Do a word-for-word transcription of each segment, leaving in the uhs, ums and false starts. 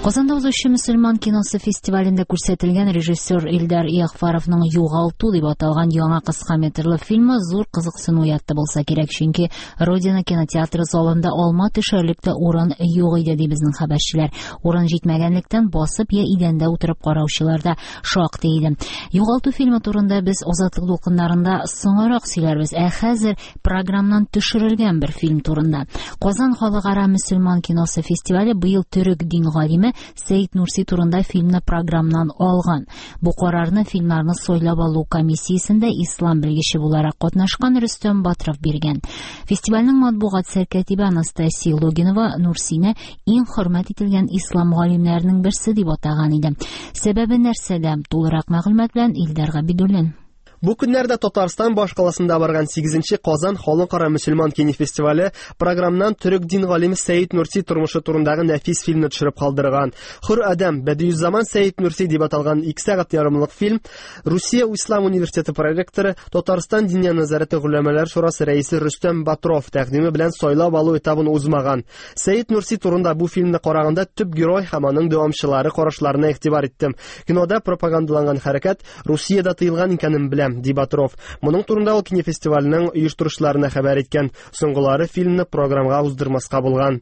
Казанда узучы мөселман киносы фестивалендә күрсәтелгән режиссер Илдар Ягъфаровның «Югалту» дип аталган яңа кыска метрлы фильмы зур кызыксыну уятты булса кирәк, чөнки Родина кинотеатры залында алма төшәрлек тә урын юк иде, ди безнең хәбәрчеләр. Урын җитмәгәнлектән басып я идәндә утырып караучылар да шактый иде. «Югалту» фильмы турында без Азатлык дулкыннарында соңрак сөйләрбез. Ә хәзер программнан төшерелгән бер фильм турында. Казан халыкара мөселман киносы фестивале быел төрек дин галиме Сәид Нурси турында фильмны программнан алган. Бу карарны фильмнарны сайлап алу комиссиясендә ислам белгече буларак катнашкан Рөстәм Батров биргән. Фестивальнең матбугат сәркәтибе Анастасия Логинова Нурсины иң хөрмәт ителгән ислам галимнәренең берсе дип атаган иде. Сәбәбе нәрсәдә? Тулырак мәгълүмат белән Илдар Габидуллин. Бу көннәрдә Татарстан башкаласында барган сигезенче Казан халыкара мөселман кинофестивале программнан төрек дин галиме Сәид Нурси тормышы турындагы нәфис фильмны төшереп калдырган. Хөр Адәм Бәдиүззаман Сәид Нурси дип аталган ике сәгать ярымлык фильм Русия Ислам университеты проректоры, Татарстан Диния нәзарәте голәмәләр шурасы рәисе Рөстәм Батров тәкъдиме белән сайлап алу этабын узмаган. Сәид Нурси турында бу фильмны караганда төп герой һәм аның дәвамчылары карашларына игътибар иттем. Кинода пропагандаланган хәрәкәт Русиядә тыелган икәнен беләм, ди Батров. Моның турында ул кинофестивальнең оештыручыларына хәбәр иткән. Соңгылары фильмны программага уздырмаска булган.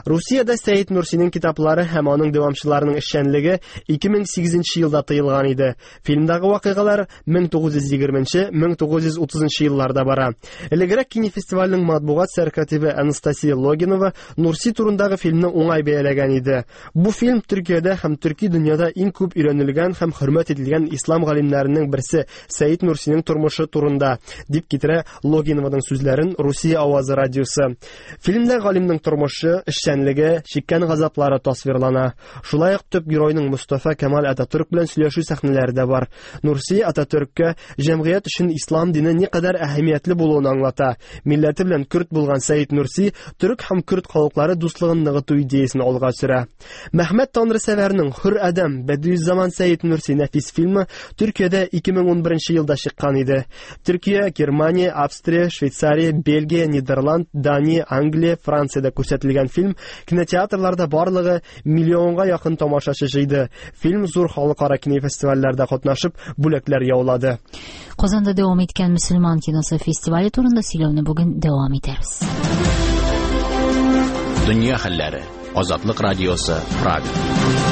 Русиядә Сәид Нурсиның китаплары һәм аның дәвамчыларының эшчәнлеге ике мең сигезенче елда тыелган иде. Фильмдагы вакыйгалар мең тугыз йөз егерменче, мең тугыз йөз утызынчы елларда бара. Элегрәк кинофестивальнең матбугат сәркатибе Анастасия Логинова Нурси турындагы фильмны уңай бәяләгән иде. Бу фильм Төркиядә һәм төрки дөньяда иң күп өйрәнелгән һәм хөрмәт ителгән ислам галимнәренең берсе Сәид Нурсиның тормышы турында, дип китерә Логинованың сүзләрен Русия авазы радиосы. Фильмдә галимнең тормышы, эшчәнлеге, чиккән газаплары тасвирлана. Шулай ук төп геройның Мустафа Кемаль Ататүрк белән сөйләшү сәхнәләре дә бар. Нурси Ататүрккә җәмгыять өчен ислам дине никадәр әһәмиятле булуын аңлата. Милләте белән көрд булган Сәид Нурси төрек һәм көрд халыклары дуслыгын ныгыту идеясын алга сөрә. Мәхмәт Танрысәвәрнең Хөр Адәм Бәдиүззаман Сәид Нурси нәфис фильмы Төркиядә ике мең унберенче елда чыккан иде. Төркия, Германия, Австрия, Швейцария, Бельгия, Нидерланд, Дания, Англия, Франциядә күрсәтелгән фильм кинотеатрларда барлыгы миллионга якын тамашачы җыйды. Фильм зур халыкара кинофестивальләрдә катнашып, бүләкләр яулады. Казанда дәвам иткән мөселман киносы фестивале турында сөйләүне бүген дәвам итәрбез. Дөнья хәлләре. Азатлык радиосы, Прага.